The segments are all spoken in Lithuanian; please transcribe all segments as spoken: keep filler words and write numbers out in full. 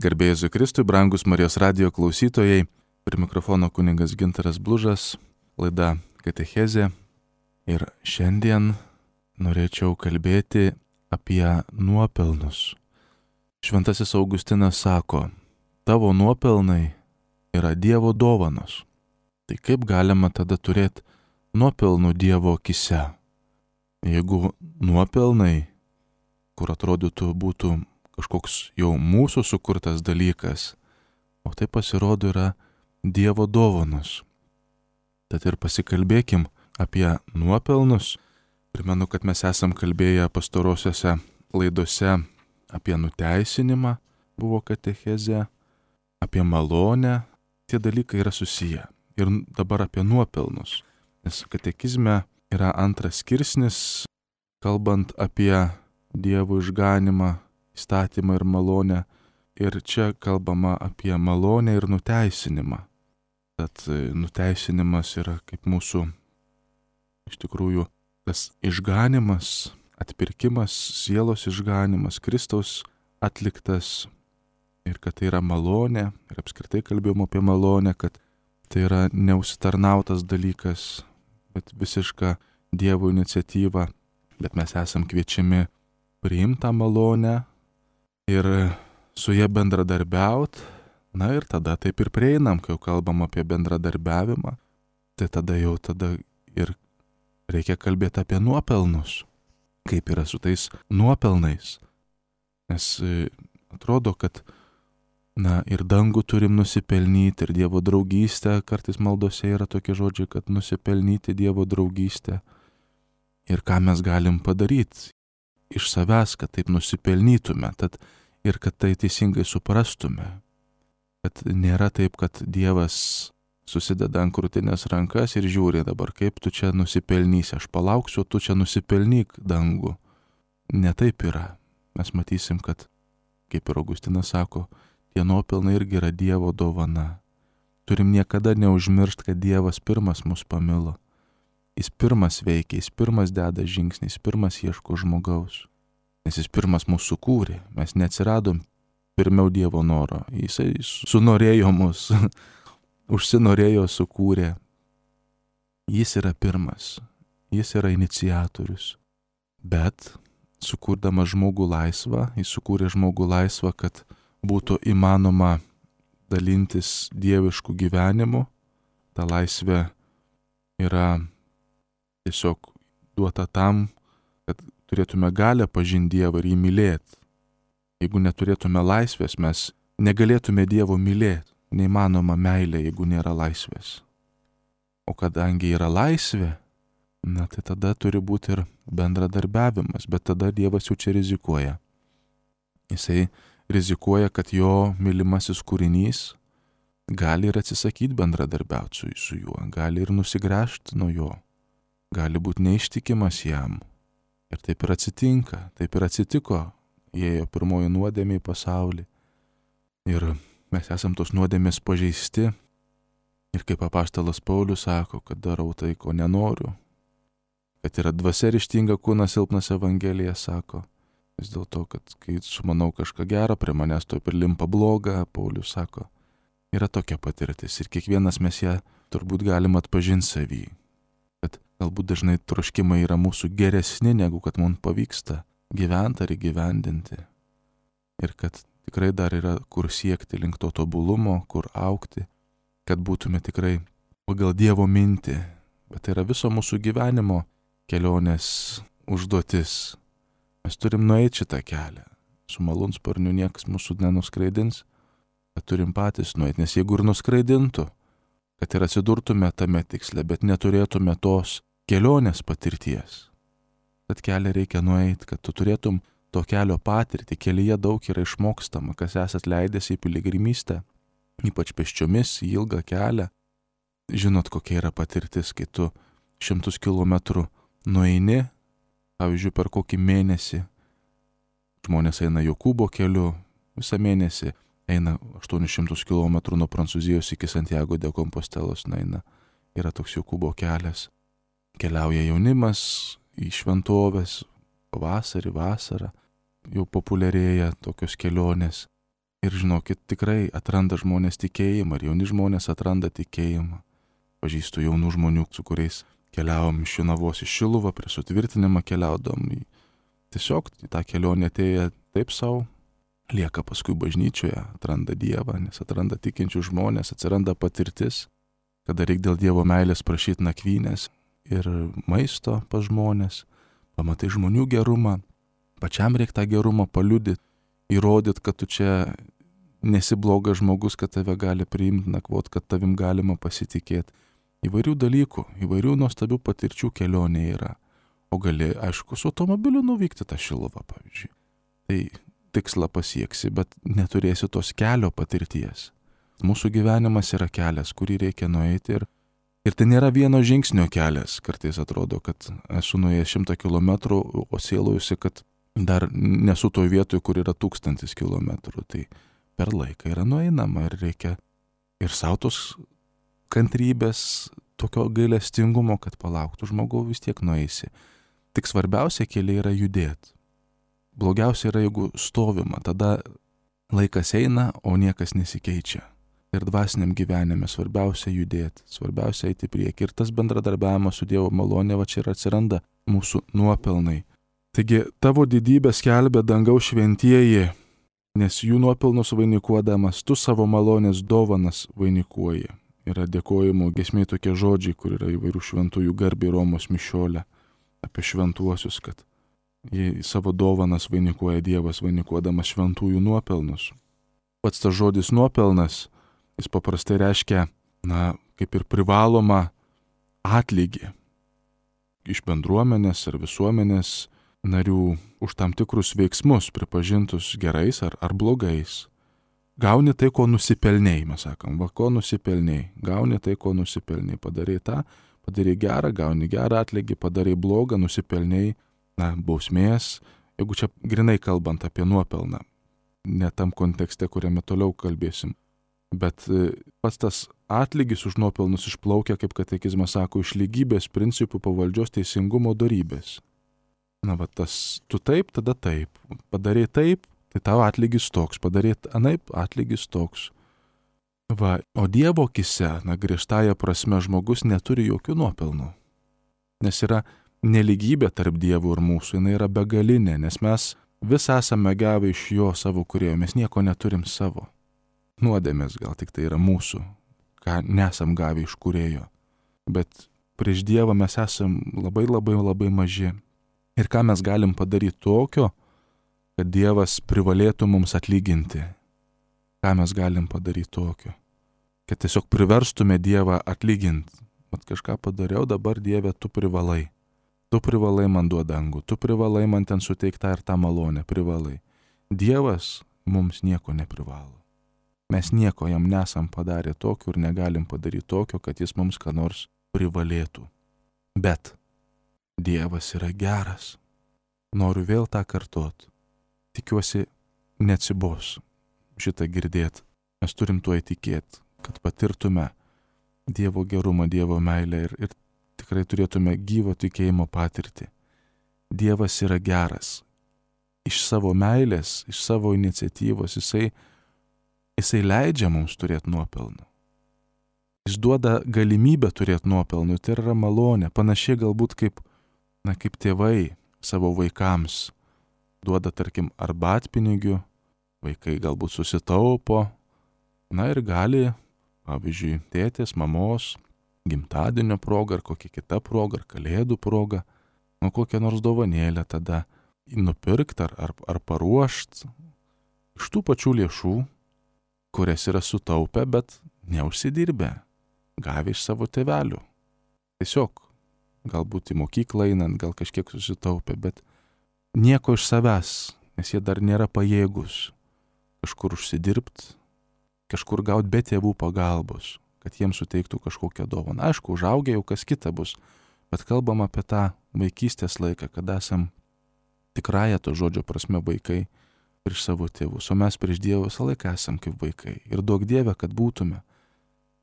Garbė Jėzui Kristui, brangus Marijos radijo klausytojai, prie mikrofono kunigas Gintaras Blužas, laida Katechezė. Ir šiandien norėčiau kalbėti apie nuopelnus. Šventasis Augustinas sako, tavo nuopelnai yra Dievo dovanos. Tai kaip galima tada turėti nuopelnų Dievo akise? Jeigu nuopelnai, kur atrodytų būtų kažkoks jau mūsų sukurtas dalykas, o tai pasirodo yra Dievo dovanos. Tad ir pasikalbėkim apie nuopelnus. Primenu, kad mes esam kalbėję pastarosiuose laidose apie nuteisinimą, buvo katechezė, apie malonę. Tie dalykai yra susiję. Ir dabar apie nuopelnus. Nes katekizme yra antras skirsnis, kalbant apie Dievo išganimą, įstatymą ir malonę. Ir čia kalbama apie malonę ir nuteisinimą. Tad nuteisinimas yra kaip mūsų, iš tikrųjų, tas išganimas, atpirkimas, sielos išganimas, Kristaus atliktas. Ir kad tai yra malonė, ir apskritai kalbėjom apie malonę, kad tai yra neužsitarnautas dalykas, bet visiška Dievo iniciatyva. Bet mes esam kviečiami priimti tą malonę ir su ja bendradarbiaut. Na ir tada taip ir prieinam, kai jau kalbam apie bendradarbiavimą, tai tada jau tada ir reikia kalbėti apie nuopelnus. Kaip yra su tais nuopelnais. Nes atrodo, kad na ir dangų turim nusipelnyti, ir Dievo draugystę, kartais maldose yra tokie žodžiai, kad nusipelnyti Dievo draugystę. Ir ką mes galim padaryti iš savęs, kad taip nusipelnytume, tad ir kad tai teisingai suprastume. Kad nėra taip, kad Dievas susideda ant krūtinės rankas ir žiūri dabar, kaip tu čia nusipelnysi, aš palauksiu, tu čia nusipelnyk dangų. Ne taip yra. Mes matysim, kad, kaip ir Augustinas sako, tie nuopelnai irgi yra Dievo dovana. Turim niekada neužmiršti, kad Dievas pirmas mus pamilo. Jis pirmas veikia, jis pirmas deda žingsnį, jis pirmas ieško žmogaus. Nes jis pirmas mūsų sukūrė. Mes neatsiradom pirmiau Dievo noro. Jisai sunorėjo mus, užsinorėjo, sukūrė. Jis yra pirmas. Jis yra iniciatorius. Bet sukurdamas žmogų laisvą, jis sukūrė žmogų laisvą, kad būtų įmanoma dalintis dieviškų gyvenimu. Ta laisvė yra tiesiog duota tam, kad turėtume galę pažinti Dievą ir jį mylėti. Jeigu neturėtume laisvės, mes negalėtume Dievo mylėti. Neįmanoma meilė, jeigu nėra laisvės. O kadangi yra laisvė, na tai tada turi būti ir bendradarbiavimas, bet tada Dievas jau čia rizikuoja. Jisai rizikuoja, kad jo mylimasis kūrinys gali ir atsisakyti bendradarbiauti su, su juo, gali ir nusigręžti nuo jo, gali būti neištikimas jam. Ir taip ir atsitinka, taip ir atsitiko, įėjo pirmoji nuodėmė į pasaulį. Ir mes esam tos nuodėmės pažeisti. Ir kaip apaštalas Paulius sako, kad darau tai, ko nenoriu. Kad yra dvasia ryžtinga, kūnas silpnas, Evangelija sako. Vis dėlto, kad kai sumanau kažką gerą, prie manęs to prilimpa bloga, Paulius sako. Yra tokia patirtis ir kiekvienas mes ją turbūt galim atpažinti savy. Kad galbūt dažnai troškimai yra mūsų geresni, negu kad mums pavyksta gyventi ar įgyvendinti. Ir kad tikrai dar yra kur siekti link to tobulumo, kur aukti, kad būtume tikrai pagal Dievo mintį. Bet tai yra viso mūsų gyvenimo kelionės užduotis. Mes turim nueiti šitą kelią. Su malūnsparniu niekas mūsų nenuskraidins, bet turim patys nueiti. Nes jeigu ir nuskraidintų, kad ir atsidurtume tame tiksle, bet neturėtume tos kelionės patirties. Tad kelią reikia nueiti, kad tu turėtum to kelio patirtį. Kelyje daug yra išmokstama, kas esat leidęs į piligrimystę, ypač pėsčiomis, į ilgą kelią. Žinot, kokia yra patirtis, kai tu šimtus kilometrų nueini, pavyzdžiui, per kokį mėnesį. Žmonės eina Jokūbo keliu, visą mėnesį eina aštuonis šimtus kilometrų nuo Prancūzijos iki Santiago de Compostelos, eina. Yra toks Jokūbo kelias. Keliauja jaunimas į šventovės, pavasarį, vasarą. Jau populiarėja tokios kelionės. Ir žinokit, tikrai atranda žmonės tikėjimą, ir jauni žmonės atranda tikėjimą. Pažįstu jaunų žmonių, su kuriais keliavom iš Jonavos į Šiluvą, prie sutvirtinimą keliaudom. Tiesiog tą kelionę atėję taip savo, lieka paskui bažnyčioje, atranda Dievą, nes atranda tikinčių žmonės, atsiranda patirtis, kada reikia dėl Dievo meilės prašyti nakvynės ir maisto pas žmonės, pamatai žmonių gerumą, pačiam reikia tą gerumą paliudyti, įrodyti, kad tu čia nesi blogas žmogus, kad tave gali priimti, nakvot, kad tavim galima pasitikėti. Įvairių dalykų, įvairių nuostabių patirčių kelionė yra. O gali, aišku, su automobiliu nuvykti tą Šiluvą, pavyzdžiui. Tai tikslą pasieksi, bet neturėsi tos kelio patirties. Mūsų gyvenimas yra kelias, kurį reikia nueiti ir, ir tai nėra vieno žingsnio kelias. Kartais atrodo, kad esu nuėjęs šimtą kilometrų, o sielojusi, kad dar nesu toj vietoj, kur yra tūkstantis kilometrų. Tai per laiką yra nueinama ir reikia ir sautos kantrybės, tokio gailestingumo, kad palauktų žmogau, vis tiek nueisi. Tik svarbiausia keliai yra judėti. Blogiausia yra, jeigu stovima, tada laikas eina, o niekas nesikeičia. Ir dvasiniam gyvenime svarbiausia judėti, svarbiausia eiti prieki. Ir tas bendradarbiavimas su Dievo malonė, va čia ir atsiranda mūsų nuopelnai. Taigi, tavo didybę skelbia dangaus šventieji, nes jų nuopelnus vainikuodamas tu savo malonės dovanas vainikuoji. Yra dėkojimo giesmė tokie žodžiai, kur yra įvairių šventųjų garbė Romos mišiolė apie šventuosius, kad jie savo dovanas vainikuoja Dievas, vainikuodamas šventųjų nuopelnus. Pats tas žodis nuopelnas, jis paprastai reiškia, na, kaip ir privaloma atlygį iš bendruomenės ar visuomenės narių už tam tikrus veiksmus pripažintus gerais ar, ar blogais. Gauni tai, ko nusipelnėjai, mes sakom, va, ko nusipelnėjai, gauni tai, ko nusipelnėjai, padarai tą, padarai gerą, gauni gerą atlygį, padarai blogą, nusipelnėjai, na, bausmės, jeigu čia grinai kalbant apie nuopelną, ne tam kontekste, kuriame toliau kalbėsim, bet pats tas atlygis už nuopelnus išplaukia, kaip katekizmas sako, iš lygybės principų pavaldžios teisingumo dorybės. Na, va, tas tu taip, tada taip, padarai taip, tai tavo atlygis toks, padarėt anaip, atlygis toks. Va, o Dievo akise, na, griežtąja prasme, žmogus neturi jokių nuopelnų. Nes yra nelygybė tarp Dievo ir mūsų, jinai yra begalinė, nes mes vis esame gavę iš jo savo kūrėjo, mes nieko neturim savo. Nuodėmės gal tik tai yra mūsų, ką nesam gavę iš kūrėjo. Bet prieš Dievą mes esam labai labai labai maži. Ir ką mes galim padaryti tokio, kad Dievas privalėtų mums atlyginti. Ką mes galim padaryti tokio? Kad tiesiog priverstume Dievą atlyginti. Mat kažką padariau, dabar Dieve, tu privalai. Tu privalai man duoti dangų, tu privalai man ten suteikti tą ir tą malonę, privalai. Dievas mums nieko neprivalo. Mes nieko jam nesam padarę tokio ir negalim padaryti tokio, kad jis mums ką nors privalėtų. Bet Dievas yra geras. Noriu vėl tą kartot. Tikiuosi, neatsibos šitą girdėti. Mes turim tuo įtikėti, kad patirtume Dievo gerumą, Dievo meilę ir, ir tikrai turėtume gyvo tikėjimo patirtį. Dievas yra geras. Iš savo meilės, iš savo iniciatyvos, jisai, jisai leidžia mums turėti nuopelnų. Jis duoda galimybę turėti nuopelnų, tai yra malonė, panašiai galbūt kaip, na, kaip tėvai savo vaikams duoda, tarkim, arbatpinigių, vaikai galbūt susitaupo, na ir gali, pavyzdžiui, tėtės, mamos, gimtadienio proga ar kokia kita proga, ar kalėdų proga, nu kokią nors dovanėlę tada nupirkti ar, ar, ar paruošti iš tų pačių lėšų, kurias yra sutaupę, bet neužsidirbę, gavę iš savo tėvelių. Tiesiog, galbūt į mokyklą einant, gal kažkiek susitaupę, bet nieko iš savęs, nes jie dar nėra pajėgus kažkur užsidirbti, kažkur gauti be tėvų pagalbos, kad jiems suteiktų kažkokią dovaną. Aišku, užaugę jau kas kita bus, bet kalbam apie tą vaikystės laiką, kada esam tikrąją to žodžio prasme vaikai prieš savo tėvus, o mes prieš Dievą visą laiką esam kaip vaikai. Ir duok Dieve, kad būtume,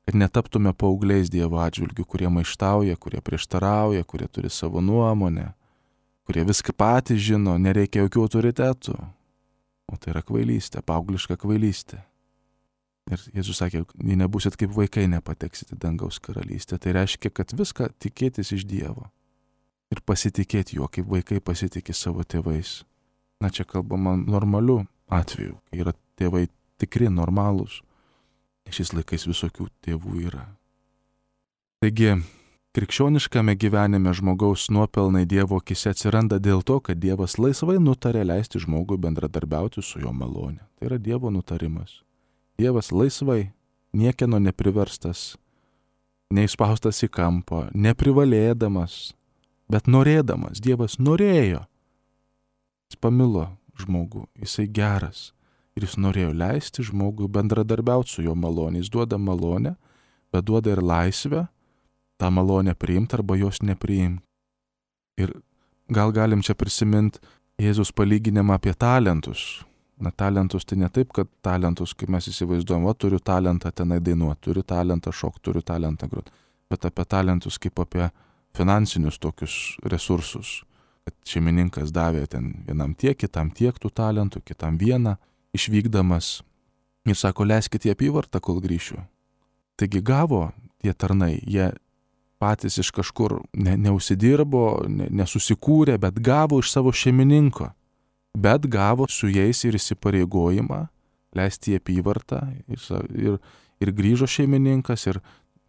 kad netaptume paaugliais Dievo atžvilgių, kurie maištauja, kurie prieštarauja, kurie turi savo nuomonę, kurie viską patys žino, nereikia jokių autoritetų. O tai yra kvailystė, paaugliška kvailystė. Ir Jėzus sakė, jei nebūsit kaip vaikai, nepateksit į dangaus karalystę. Tai reiškia, kad viską tikėtis iš Dievo. Ir pasitikėti juo, kaip vaikai pasitikė savo tėvais. Na, čia kalbama normaliu atveju, kai yra tėvai tikri, normalūs. Šiais laikais visokių tėvų yra. Taigi, krikščioniškame gyvenime žmogaus nuopelnai Dievo akise atsiranda dėl to, kad Dievas laisvai nutarė leisti žmogui bendradarbiauti su jo malone. Tai yra Dievo nutarimas. Dievas laisvai, niekieno nepriverstas, neįspaustas į kampą, neprivalėdamas, bet norėdamas. Dievas norėjo. Jis pamilo žmogų, jisai geras. Ir jis norėjo leisti žmogui bendradarbiauti su jo malonė. Jis duoda malonę, bet duoda ir laisvę tą malonę priimti arba jos nepriimti. Ir gal galim čia prisiminti Jėzus palyginimą apie talentus. Na, talentus tai ne taip, kad talentus, kaip mes įsivaizduojam, o turiu talentą tenai dainuoti, turiu talentą šokti, turiu talentą groti. Bet apie talentus kaip apie finansinius tokius resursus. Kad šeimininkas davė ten vienam tiek, kitam tiek tų talentų, kitam vieną, išvykdamas. Ir sako, leiskit į apyvartą, kol grįšiu. Taigi gavo tie tarnai, jie patys iš kažkur ne, neusidirbo, ne, nesusikūrė, bet gavo iš savo šeimininko. Bet gavo su jais ir įsipareigojimą leisti į apyvartą. Ir, ir, ir grįžo šeimininkas ir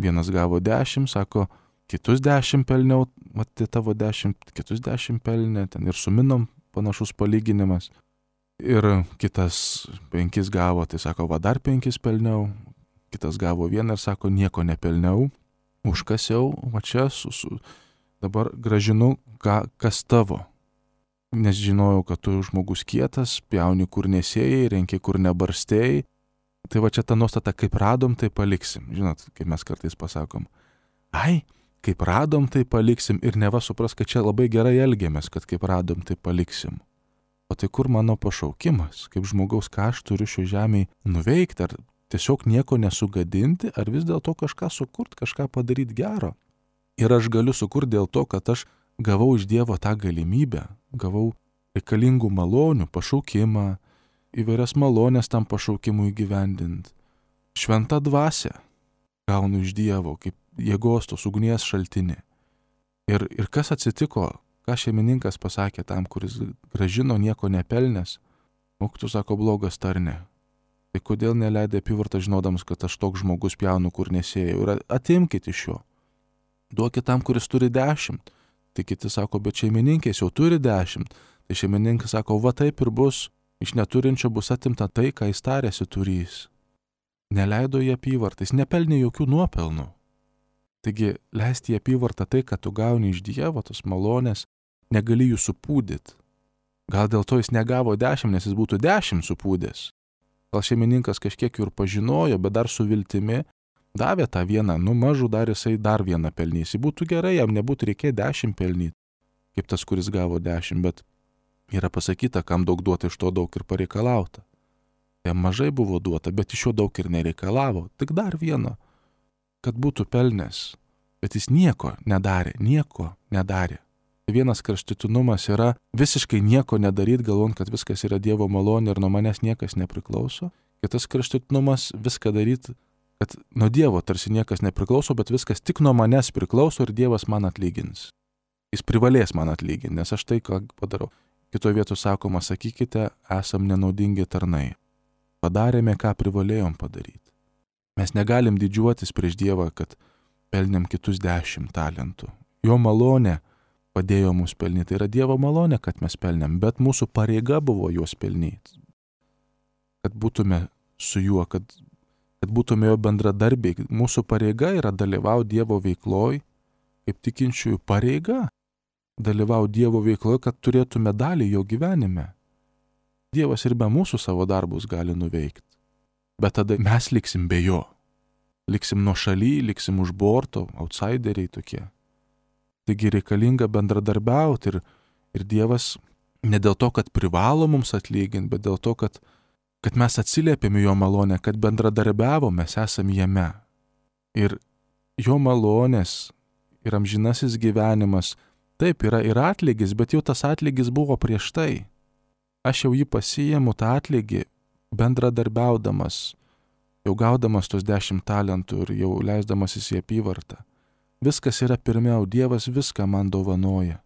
vienas gavo dešimt, sako, kitus dešimt pelniau, matė tavo dešimt, kitus dešimt pelnė, ten ir suminom panašus palyginimas. Ir kitas penkis gavo, tai sako, va dar penkis pelniau, kitas gavo vieną ir sako, nieko nepelniau, užkasiau, va čia su, su, dabar gražinu, ką, kas tavo. Nes žinojau, kad tu žmogus kietas, pjauni kur nesėjai, renki kur nebarstėjai. Tai va čia ta nuostata, kaip radom, tai paliksim. Žinot, kaip mes kartais pasakom, ai, kaip radom, tai paliksim ir neva supras, kad čia labai gerai elgiamės, kad kaip radom, tai paliksim. O tai kur mano pašaukimas, kaip žmogaus, ką aš turiu šio žemėje nuveikti, ar tiesiog nieko nesugadinti, ar vis dėlto kažką sukurti, kažką padaryti gero. Ir aš galiu sukurti dėl to, kad aš gavau iš Dievo tą galimybę, gavau reikalingų malonių, pašaukimą, įvairias malonės tam pašaukimui įgyvendinti. Šventą dvasią gaunu iš Dievo, kaip jėgos tos ugnies šaltinį. Ir, ir kas atsitiko, ką šeimininkas pasakė tam, kuris gražino nieko nepelnęs, mokytojas sako, blogas tarne. Tai kodėl neleidai apyvartą žinodamas, kad aš toks žmogus pjaunu, kur nesėjau, ir atimkite iš jo. Duokit tam, kuris turi dešimt. Tai kiti sako, bet šeimininkės jau turi dešimt. Tai šeimininkas sako, va taip ir bus, iš neturinčio bus atimta tai, ką jis tarėsi turys. Neleido į apyvartą, jis nepelnė jokių nuopelnų. Taigi, leisti į apyvartą tai, kad tu gauni iš Dievo, tos malonės, negali jų supūdyti. Gal dėl to jis negavo dešimt, nes jis būtų dešimt supūdęs. Gal šeimininkas kažkiek jų ir pažinojo, bet dar su viltimi davė tą vieną, nu mažų dar jisai dar vieną pelnys. Jis būtų gerai, jam nebūtų reikėję dešimt pelnyti, kaip tas, kuris gavo dešimt, bet yra pasakyta, kam daug duota, iš to daug ir pareikalauta. Jam mažai buvo duota, bet iš jo daug ir nereikalavo, tik dar vieno, kad būtų pelnęs. Bet jis nieko nedarė, nieko nedarė. Vienas kraštutinumas yra visiškai nieko nedaryti, galvojant, kad viskas yra Dievo malonė ir nuo manęs niekas nepriklauso. Kitas kraštutinumas viską daryti, kad nuo Dievo tarsi niekas nepriklauso, bet viskas tik nuo manęs priklauso ir Dievas man atlygins. Jis privalės man atlyginti, nes aš tai, ką padarau. Kitoje vietoje sakoma, sakykite, esam nenaudingi tarnai. Padarėme, ką privalėjom padaryti. Mes negalim didžiuotis prieš Dievą, kad pelnėm kitus dešimt talentų. Jo malonė padėjo mus pelnyti. Tai yra Dievo malonė, kad mes pelnėm, bet mūsų pareiga buvo juos pelnyti. Kad būtume su juo, kad kad būtume jo bendradarbiai. Mūsų pareiga yra dalyvauti Dievo veikloj, kaip tikinčiųjų pareiga dalyvauti Dievo veikloje, kad turėtume dalį jo gyvenime. Dievas ir be mūsų savo darbus gali nuveikti. Bet tada mes liksim be jo. Liksim nuo šaly, liksim už borto, outsideriai tokie. Taigi reikalinga bendradarbiauti ir, ir Dievas ne dėl to, kad privalo mums atlyginti, bet dėl to, kad kad mes atsiliepėme jo malonę, kad bendradarbiavom, mes esame jame. Ir jo malonės ir amžinasis gyvenimas, taip yra ir atlygis, bet jau tas atlygis buvo prieš tai. aš jau jį pasiimu tą atlygį bendradarbiaudamas, jau gaudamas tos dešimt talentų ir jau leisdamasis į apyvartą. Viskas yra pirmiau, Dievas viską man dovanoja.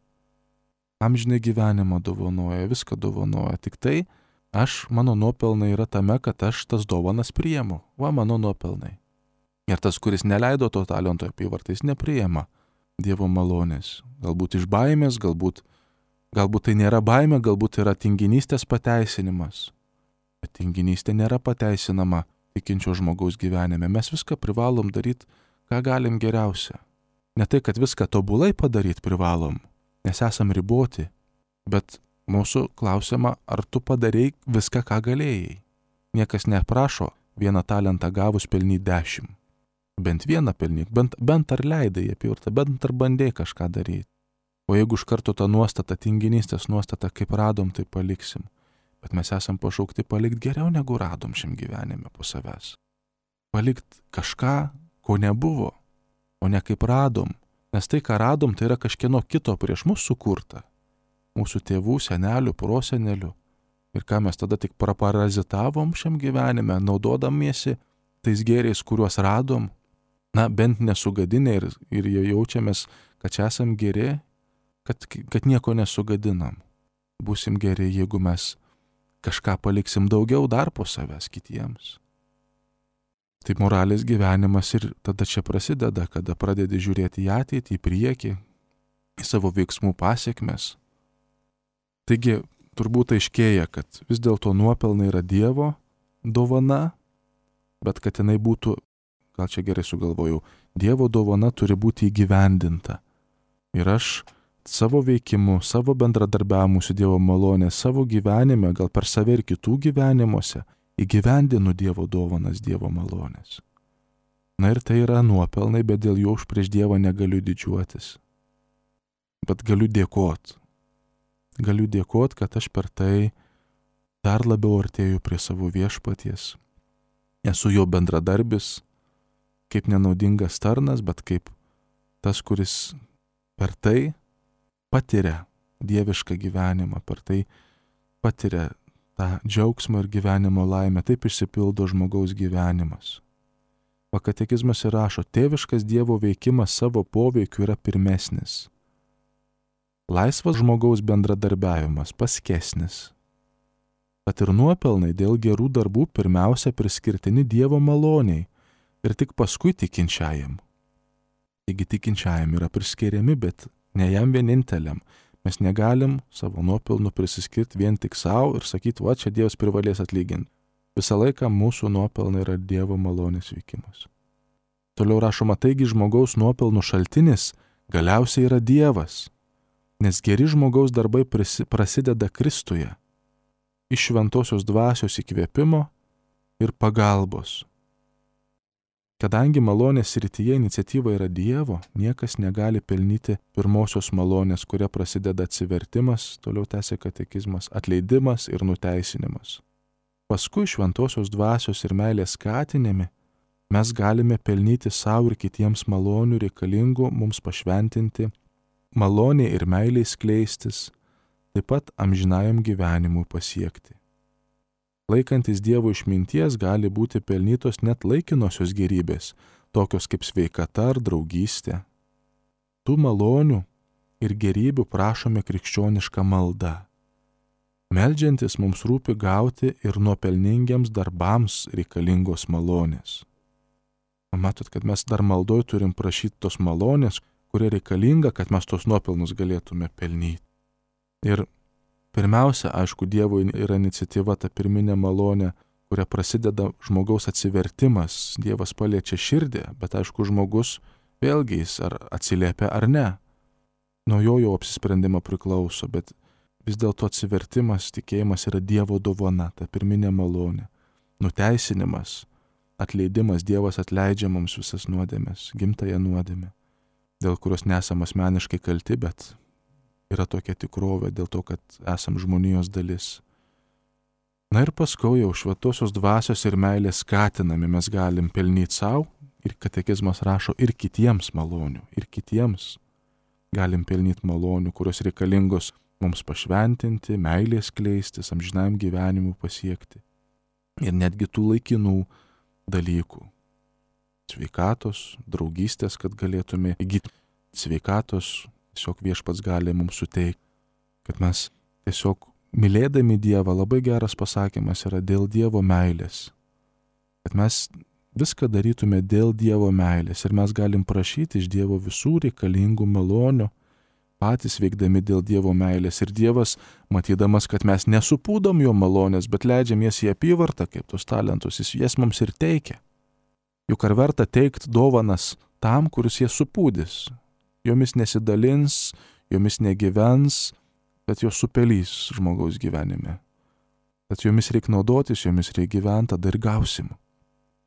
Amžinai gyvenimą dovanoja, viską dovanoja. Tik tai aš, mano nuopelnai yra tame, kad aš tas dovanas priimu. Va mano nuopelnai. Ir tas, kuris neleido to talento apyvartą, jis nepriima Dievo malonės. Galbūt iš baimės, galbūt, galbūt tai nėra baimė, galbūt yra tinginystės pateisinimas. Bet tinginystė nėra pateisinama tikinčio žmogaus gyvenime. Mes viską privalom daryti, ką galim geriausia. Ne tai, kad viską tobulai padaryti privalom, nes esam riboti, bet mūsų klausiama, ar tu padarei viską, ką galėjai. Niekas neprašo vieną talentą gavus pelnyti dešimt. Bent vieną pelnyk, bent, bent ar leidai apyvartą, bent ar bandėjai kažką daryti. O jeigu iš karto tą nuostatą, tinginystės nuostatą, kaip radom, tai paliksim. Bet mes esam pašaukti palikti geriau, negu radom šiam gyvenime po savęs. Palikti kažką, ko nebuvo, o ne kaip radom. Nes tai, ką radom, tai yra kažkieno kito prieš mus sukurta. Mūsų tėvų, senelių, prosenelių. Ir ką mes tada tik praparazitavom šiam gyvenime, naudodamiesi tais gėriais, kuriuos radom. Na, bent nesugadinę ir, ir jaučiamės, kad čia esam geri, kad, kad nieko nesugadinam. Būsim geri, jeigu mes kažką paliksim daugiau dar po savęs kitiems. Tai moralės gyvenimas ir tada čia prasideda, kada pradedi žiūrėti į ateitį, į priekį, į savo veiksmų pasiekmes. Taigi, turbūt aiškėja, kad vis dėlto nuopelnai yra Dievo dovana, bet kad jinai būtų, gal čia gerai sugalvojau, Dievo dovana turi būti įgyvendinta. Ir aš savo veikimu, savo bendradarbiavimu su Dievo malonė, savo gyvenime, gal per save ir kitų gyvenimuose, įgyvendinu Dievo dovanas, Dievo malonės. Na ir tai yra nuopelnai, bet dėl jų aš prieš Dievą negaliu didžiuotis. Bet galiu dėkot. Galiu dėkot, kad aš per tai dar labiau artėju prie savo viešpaties. Esu jo bendradarbis, kaip nenaudingas tarnas, bet kaip tas, kuris per tai patiria dievišką gyvenimą, per tai patiria tą džiaugsmą ir gyvenimo laimę, taip išsipildo žmogaus gyvenimas. O katekizmas ir rašo, tėviškas Dievo veikimas savo poveikiu yra pirmesnis. Laisvas žmogaus bendradarbiavimas paskesnis. Tad ir nuopelnai dėl gerų darbų pirmiausia priskirtini Dievo maloniai ir tik paskui tikinčiajam. Taigi tikinčiajam yra priskiriami, bet ne jam vieninteliam. Mes negalim savo nuopelnų prisiskirti vien tik savo ir sakyti, va, čia Dievas privalės atlyginti. Visą laiką mūsų nuopelnai yra Dievo malonės veikimas. Toliau rašoma, taigi žmogaus nuopelnų šaltinis galiausiai yra Dievas, nes geri žmogaus darbai prisi, prasideda Kristuje, iš šventosios dvasios įkvėpimo ir pagalbos. Kadangi malonės srityje iniciatyva yra Dievo, niekas negali pelnyti pirmosios malonės, kuria prasideda atsivertimas, toliau tęsia katekizmas, atleidimas ir nuteisinimas. Paskui šventosios dvasios ir meilės skatinimi mes galime pelnyti savo ir kitiems malonių reikalingų mums pašventinti, maloniai ir meiliai skleistis, taip pat amžinajam gyvenimui pasiekti. Laikantis Dievo išminties gali būti pelnytos net laikinosios gerybės, tokios kaip sveikata ar draugystė. Tų malonių ir gerybių prašome krikščionišką maldą. Meldžiantis mums rūpi gauti ir nuopelningiams darbams reikalingos malonės. Matot, kad mes dar maldoj turim prašyti tos malonės, kurie reikalinga, kad mes tos nuopelnus galėtume pelnyti. Ir pirmiausia, aišku, Dievo yra iniciatyva, ta pirminė malonė, kuria prasideda žmogaus atsivertimas. Dievas paliečia širdį, bet aišku, žmogus vėlgi jis ar atsiliepia ar ne. Nuo jo jau apsisprendimo priklauso, bet vis dėlto atsivertimas, tikėjimas yra Dievo dovana, ta pirminė malonė. Nuteisinimas, atleidimas, Dievas atleidžia mums visas nuodėmes, gimtąją nuodėmę, dėl kurios nesam asmeniškai kalti, bet yra tokia tikrovė dėl to, kad esam žmonijos dalis. Na ir paskui jau šventosios dvasios ir meilės skatinami mes galim pelnyti savo, ir katekizmas rašo, ir kitiems malonių, ir kitiems galim pelnyti malonių, kurios reikalingos mums pašventinti, meilės kleistis, amžinam gyvenimui pasiekti. Ir netgi tų laikinų dalykų. Sveikatos, draugystės, kad galėtume įgyti sveikatos, tiesiog viešpats gali mums suteikti, kad mes tiesiog mylėdami Dievą, labai geras pasakymas yra dėl Dievo meilės, kad mes viską darytume dėl Dievo meilės ir mes galim prašyti iš Dievo visų reikalingų malonių, patys veikdami dėl Dievo meilės. Ir Dievas, matydamas, kad mes nesupūdom jo malonės, bet leidžiam jas į apyvartą, kaip tos talentus, jis jas mums ir teikia. Juk ar verta teikti dovanas tam, kuris jas supūdys? Jomis nesidalins, jomis negyvens, bet jos supelys žmogaus gyvenime. Tad jomis reikia naudotis, jomis reikia gyventi, tada ir gausim.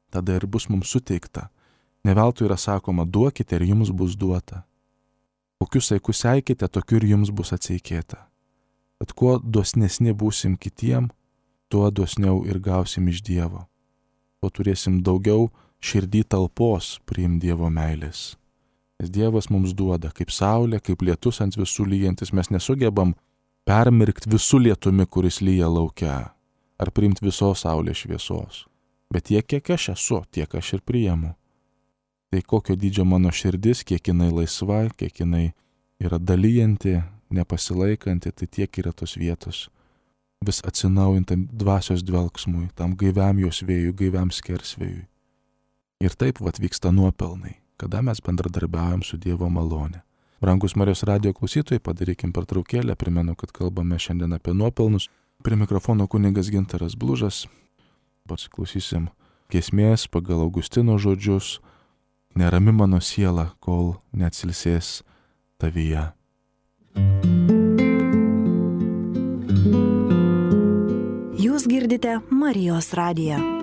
Tada ir bus mums suteikta. Ne veltui yra sakoma, duokite ir jums bus duota. Kokius saikus seikite, tokiu ir jums bus atseikėta. Tad kuo dosnesni būsim kitiem, tuo dosniau ir gausim iš Dievo. Tuo turėsim daugiau širdį talpos priimti Dievo meilės. Nes Dievas mums duoda kaip saulė, kaip lietus ant visų lyjantis. Mes nesugebam permirkti visų lietumi, kuris lyja laukia, ar priimti visos saulės šviesos. Bet tiek, kiek aš esu, tiek aš ir priimu. Tai kokio dydžio mano širdis, kiek jinai laisva, kiek jinai yra dalyjanti, nepasilaikanti, tai tiek yra tos vietos vis atsinaujintam dvasios dvelksmui, tam gaiviam jos vėjui, gaiviam skersvėjui. Ir taip vat vyksta nuopelnai, kada mes bendradarbiaujam su Dievo malone. Brangus Marijos radijo klausytojai, padarykim pertraukėlę, primenu, kad kalbame šiandien apie nuopelnus. Prie mikrofono kunigas Gintaras Blužas. Pasiklausysim giesmės pagal Augustino žodžius: nerami mano siela, kol neatsilsės tavyje. Jūs girdite Marijos radiją.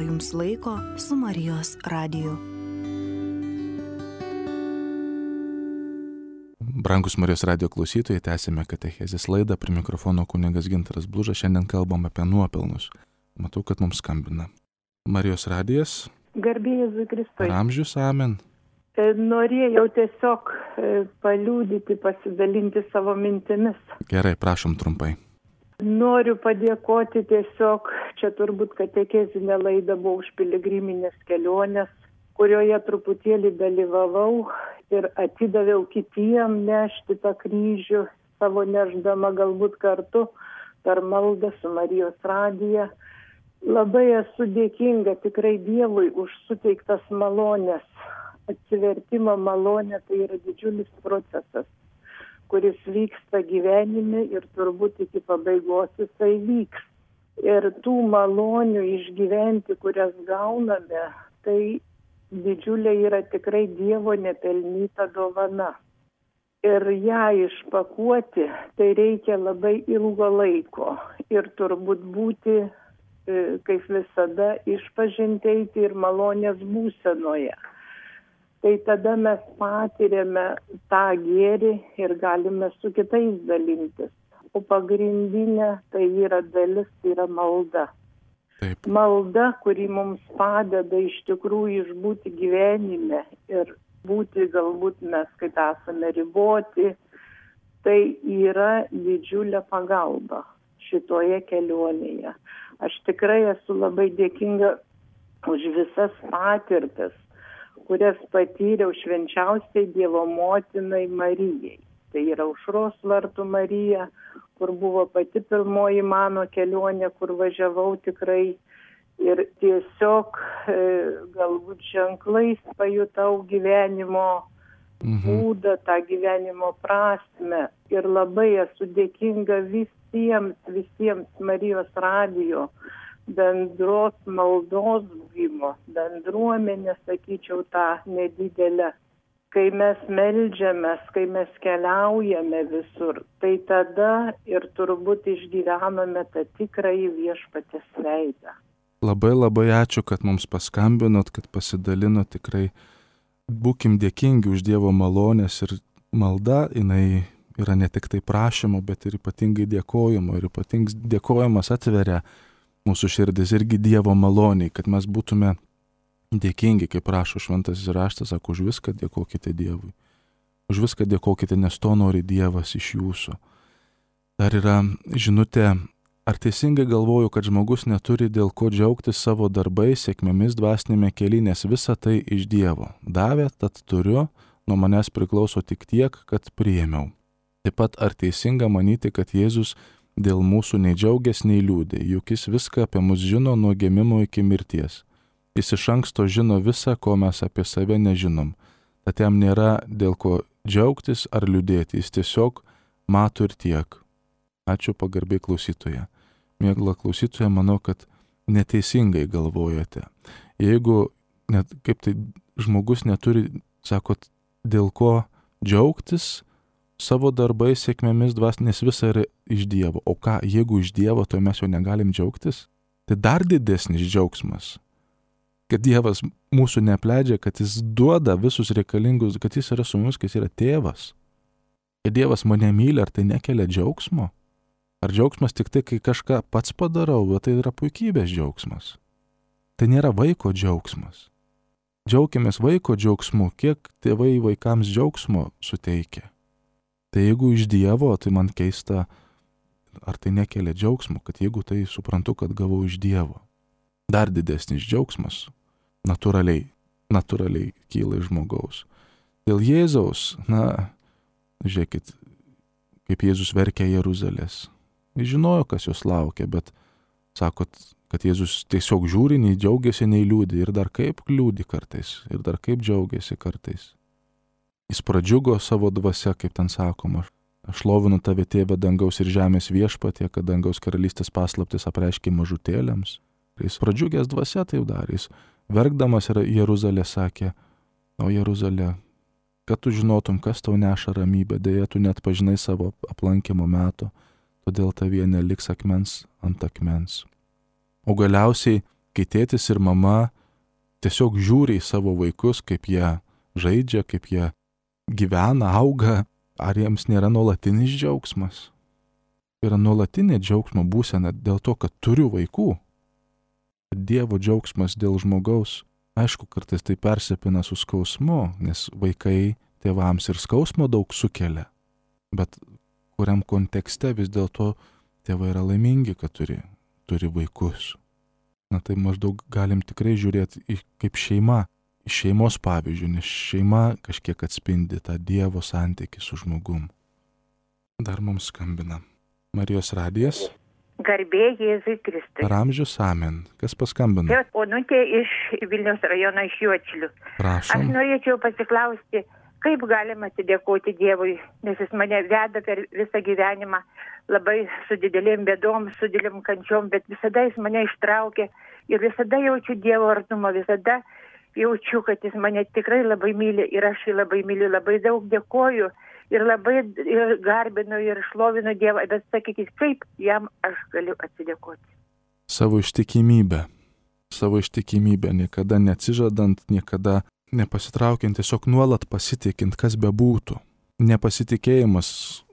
skirto jums laiko su Marijos radiju. Brangus Marijos radijo klausytojai, tęsime katechezės laidą, prie mikrofono kunigas Gintaras Blužas, šiandien kalbam apie nuopelnus. Matau, kad mums skambina Marijos radijas. Garbė Jėzui Kristui. Per amžius, amen. Norėjau tiesiog paliudyti, pasidalinti savo mintimis. Gerai, prašom trumpai. Noriu padėkoti tiesiog, čia turbūt katechezinė laida buvo už piligriminės kelionės, kurioje truputėlį dalyvavau ir atidaviau kitiem nešti tą kryžių, savo neždama galbūt kartu per maldą su Marijos radija. Labai esu dėkinga tikrai Dievui už suteiktas malonės. Atsivertimo malonė tai yra didžiulis procesas, kuris vyksta gyvenime ir turbūt iki pabaigos jisai vyks. Ir tų malonių išgyventi, kurias gauname, tai didžiulė yra tikrai Dievo nepelnyta dovana. Ir ją išpakuoti, tai reikia labai ilgo laiko. Ir turbūt būti, kaip visada, išpažinti eiti ir malonės būsenoje. Tai tada mes patiriame tą gėrį ir galime su kitais dalintis. O pagrindinė tai yra dalis, tai yra malda. Taip. Malda, kuri mums padeda iš tikrųjų išbūti gyvenime ir būti galbūt mes, kaip esame riboti, tai yra didžiulė pagalba šitoje kelionėje. Aš tikrai esu labai dėkinga už visas patirtis, kurias patyriau švenčiausiai Dievo motinai Marijai. Tai yra Aušros vartų Marija, kur buvo pati pirmoji mano kelionė, kur važiavau tikrai ir tiesiog e, galbūt ženklais pajutau gyvenimo mhm. būdą, tą gyvenimo prasmę. Ir labai esu dėkinga visiems, visiems Marijos radijo bendros maldos buvimo, bendruomenė, sakyčiau, tą nedidelę. Kai mes meldžiamės, kai mes keliaujame visur, tai tada ir turbūt išgyvename tą tikrąjį Viešpaties veidą. Labai labai ačiū, kad mums paskambinot, kad pasidalinot, tikrai būkim dėkingi už Dievo malonės ir malda, jinai yra ne tik tai prašymo, bet ir ypatingai dėkojimo. Ir ypatingai dėkojimas atveria mūsų širdis irgi Dievo maloniai, kad mes būtume dėkingi, kaip prašo šventasis raštas, sako, už viską dėkokite Dievui. Už viską dėkokite, nes to nori Dievas iš jūsų. Dar yra žinutė, ar teisingai galvoju, kad žmogus neturi dėl ko džiaugtis savo darbais, sėkmėmis dvasinėme kely, nes visa tai iš Dievo. Davė, tad turiu, nuo manęs priklauso tik tiek, kad priėmiau. Taip pat ar teisinga manyti, kad Jėzus dėl mūsų nei džiaugias, nei liūdė, juk jis viską apie mus žino nuo gimimo iki mirties. Jis iš anksto žino visą, ko mes apie save nežinom. Tad jam nėra dėl ko džiaugtis ar liūdėti, jis tiesiog mato ir tiek. Ačiū pagarbiai klausytoja. Mėgla klausytoja, manau, kad neteisingai galvojate. Jeigu net, kaip tai žmogus neturi, sakot, dėl ko džiaugtis savo darbais, sėkmėmis dvasinės, visa yra iš Dievo. O ką, jeigu iš Dievo, to mes jau negalim džiaugtis? Tai dar didesnis džiaugsmas. Kad Dievas mūsų neapleidžia, kad jis duoda visus reikalingus, kad jis yra su mumis, kad jis yra tėvas. Kad Dievas mane myli, ar tai nekelia džiaugsmo? Ar džiaugsmas tik tai, kai kažką pats padarau, bet tai yra puikybės džiaugsmas. Tai nėra vaiko džiaugsmas. Džiaukimės vaiko džiaugsmu, kiek tėvai vaikams džiaugsmo suteikia. Tai jeigu iš Dievo, tai man keista, ar tai nekelia džiaugsmo, kad jeigu tai suprantu, kad gavau iš Dievo. Dar didesnis džiaugsmas. Natūraliai, natūraliai kyla iš žmogaus. Dėl Jėzaus, na, žiūrėkit, kaip Jėzus verkė Jeruzalės. Jis žinojo, kas jos laukia, bet sakot, kad Jėzus tiesiog žiūri, nei džiaugiasi, nei liūdi. Ir dar kaip liūdi kartais, ir dar kaip džiaugiasi kartais. Jis pradžiugo savo dvasia, kaip ten sakoma. Aš šlovinu tave, tėve, dangaus ir žemės viešpatie, kad dangaus karalystės paslaptis apreiškė mažutėliams. Jis pradžiugęs dvasia taip darė. Jis verkdamas Jeruzalė sakė, o Jeruzalė, kad tu žinotum, kas tau neša ramybę, dėja tu net pažinai savo aplankimo meto, todėl tavyje neliks akmens ant akmens. O galiausiai kai tėtis ir mama tiesiog žiūri į savo vaikus, kaip jie žaidžia, kaip jie gyvena, auga, ar jiems nėra nuolatinis džiaugsmas? Yra nuolatinė džiaugsmo būsena dėl to, kad turiu vaikų. Dievo džiaugsmas dėl žmogaus, aišku, kartais tai persipina su skausmu, nes vaikai tėvams ir skausmo daug sukelia. Bet kuriam kontekste vis dėlto tėvai yra laimingi, kad turi, turi vaikus. Na tai maždaug galim tikrai žiūrėti į, kaip šeima, į šeimos pavyzdžių, nes šeima kažkiek atspindi tą Dievo santykį su žmogum. Dar mums skambina Marijos radijas. Garbė Jėzui Kristui. Per amžius amen. Kas paskambino? Čia Onutė iš Vilniaus rajono iš Juodšilių. Prašom. Aš norėčiau pasiklausti, kaip galima atsidėkoti Dievui, nes jis mane veda per visą gyvenimą labai su didelėm bėdom, su didelėm kančiom, bet visada jis mane ištraukė ir visada jaučiu Dievo artumą, visada jaučiu, kad jis mane tikrai labai myli ir aš jį labai myliu, labai daug dėkoju ir labai ir garbinu ir šlovinu Dievą, bet sakykit, kaip jam aš galiu atsidėkoti. Savo ištikimybę. Savo ištikimybę, niekada neatsižadant, niekada nepasitraukiant, tiesiog nuolat pasitikint, kas bebūtų. Nepasitikėjimas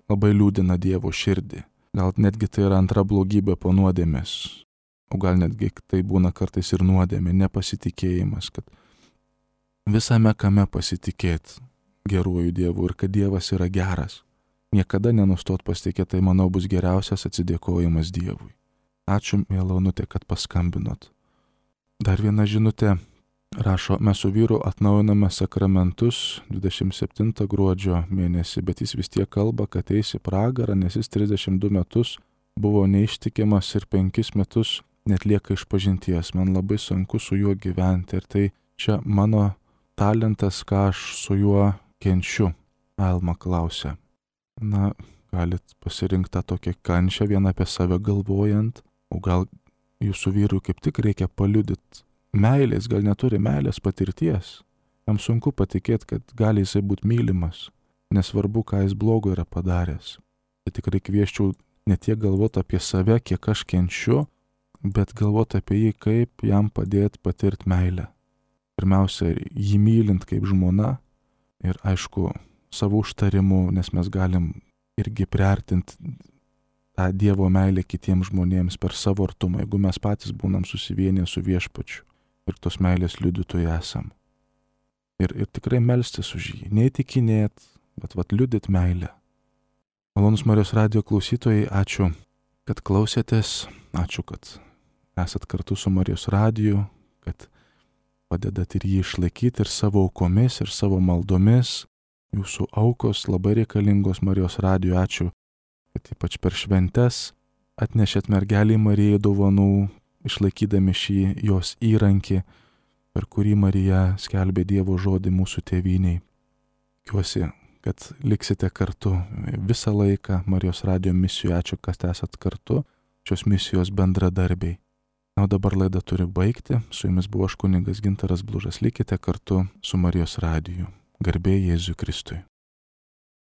labai liūdina Dievo širdį. Gal netgi tai yra antra blogybė po nuodėmės. O gal netgi tai būna kartais ir nuodėmė, nepasitikėjimas, kad visame kame pasitikėti geruoju Dievu ir kad Dievas yra geras. Niekada nenustot pasitikėti, tai manau bus geriausias atsidėkojimas Dievui. Ačiū, miela Onutė, kad paskambinot. Dar viena žinutė rašo, mes su vyru atnaujiname sakramentus dvidešimt septintą gruodžio mėnesį, bet jis vis tiek kalba, kad eis į pragarą, nes jis trisdešimt du metus buvo neištikimas ir penkis metus net lieka išpažinties. Man labai sunku su juo gyventi ir tai čia mano talentas, ką aš su juo kenčiu. Alma klausia. Na, galit pasirinkti tą tokią kančią vieną apie save galvojant, o gal jūsų vyrui kaip tik reikia paliudyti meilės, gal neturi meilės patirties. Jam sunku patikėti, kad gali jisai būti mylimas, nesvarbu, ką jis blogo yra padaręs. Tai tikrai kvieščiau ne tiek galvoti apie save, kiek aš kenčiu, bet galvoti apie jį, kaip jam padėti patirti meilę. Pirmiausia, jį mylint kaip žmona ir aišku, savo užtarimu, nes mes galim irgi priartinti tą Dievo meilę kitiems žmonėms per savo artumą, jeigu mes patys būnam susivienę su Viešpačiu ir tos meilės liudytojai esam. Ir, ir tikrai melstis už jį, neįtikinėt, bet vat liudyt meilę. Malonus Marijos radijo klausytojai, ačiū, kad klausėtės, ačiū, kad esat kartu su Marijos radiju, kad padedat ir jį išlaikyti ir savo aukomis, ir savo maldomis. Jūsų aukos labai reikalingos Marijos radijo, ačiū, kad ypač per šventes atnešėt mergelį Marijai dovanų, išlaikydami šį jos įrankį, per kurį Marija skelbė Dievo žodį mūsų tėvyniai. Tikiuosi, kad liksite kartu visą laiką Marijos radijo misijų. Ačiū, kad esat kartu, šios misijos bendradarbiai. Na, o dabar laidą turiu baigti. Su jumis buvo aš kunigas Gintaras Blužas. Likite kartu su Marijos radiju. Garbė Jėzui Kristui.